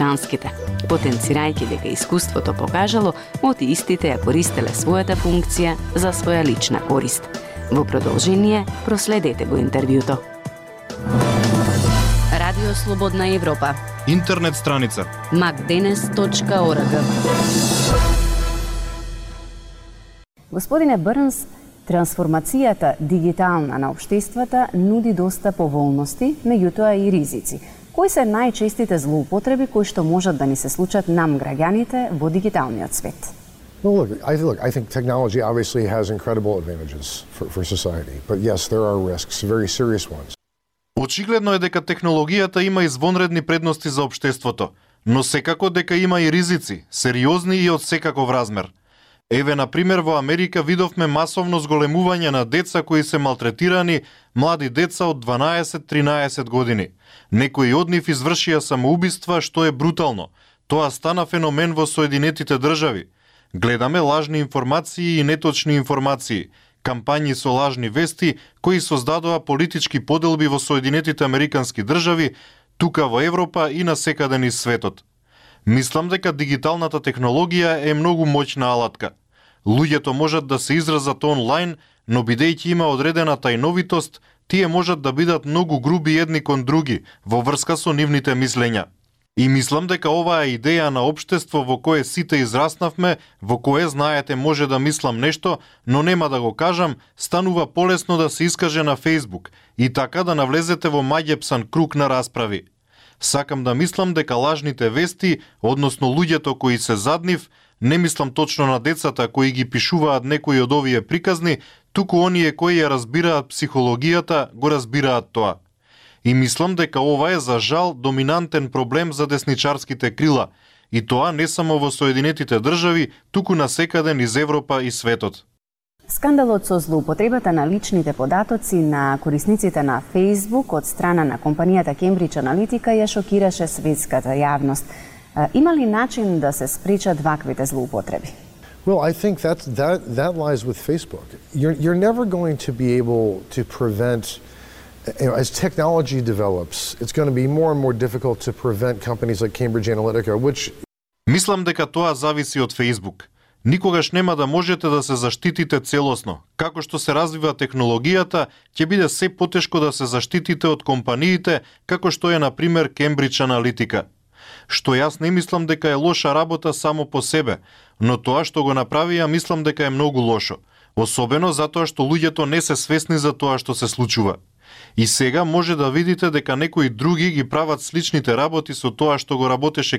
британските, потенцирајќи дека искуството покажало оти истите ја користеле својата функција за своја лична корист. Во продолжение, проследете го интервјуто. Радио Слободна Европа. Интернет страница macdenes.org. Господине Брнс, трансформацијата дигитална на општествата нуди доста поволности, меѓутоа и ризици. Кои се најчестите злоупотреби кои што можат да ни се случат нам граѓаните во дигиталниот свет? Well, I think technology obviously has incredible advantages for society, but yes, there are risks, very serious ones. Очигледно е дека технологијата има извонредни предности за општеството, но секако дека има и ризици, сериозни и од секаков размер. Еве, на пример, во Америка видовме масовно зголемување на деца кои се малтретирани, млади деца од 12-13 години. Некои од нив извршија самоубиства, што е брутално. Тоа стана феномен во Соединетите држави. Гледаме лажни информации и неточни информации, кампањи со лажни вести кои создадоа политички поделби во Соединетите Американски држави, тука во Европа и насекаде низ светот. Мислам дека дигиталната технологија е многу моќна алатка. Луѓето можат да се изразат онлайн, но бидејќи има одредена тајновитост, тие можат да бидат многу груби едни кон други во врска со нивните мислења. И мислам дека оваа идеја на општество во кое сите израснавме, во кое, знаете, може да мислам нешто, но нема да го кажам, станува полесно да се искаже на Facebook и така да навлезете во маѓепсан круг на расправи. Сакам да мислам дека лажните вести, односно луѓето кои се зад нив, не мислам точно на децата кои ги пишуваат некои од овие приказни, туку оние кои ја разбираат психологијата, го разбираат тоа. И мислам дека ова е за жал доминантен проблем за десничарските крила, и тоа не само во Соединетите држави, туку насекаде низ Европа и светот. Скандалот со злоупотребата на личните податоци на корисниците на Facebook од страна на компанијата Cambridge Analytica ја шокираше светската јавност. Има ли начин да се спречат ваквите злоупотреби? Well, I think that lies with Facebook. You're never going to be able to prevent, as technology develops, it's going to be more and more difficult to prevent companies like Cambridge Analytica, which... Мислам дека тоа зависи од Facebook. Никогаш нема да можете да се заштитите целосно. Како што се развива технологијата, ќе биде се потешко да се заштитите од компаниите, како што е, на пример, Cambridge Analytica. Што јас не мислам дека е лоша работа само по себе, но тоа што го направија мислам дека е многу лошо. Особено затоа што луѓето не се свесни за тоа што се случува. И сега може да видите дека некои други ги прават сличните работи со тоа што го работеше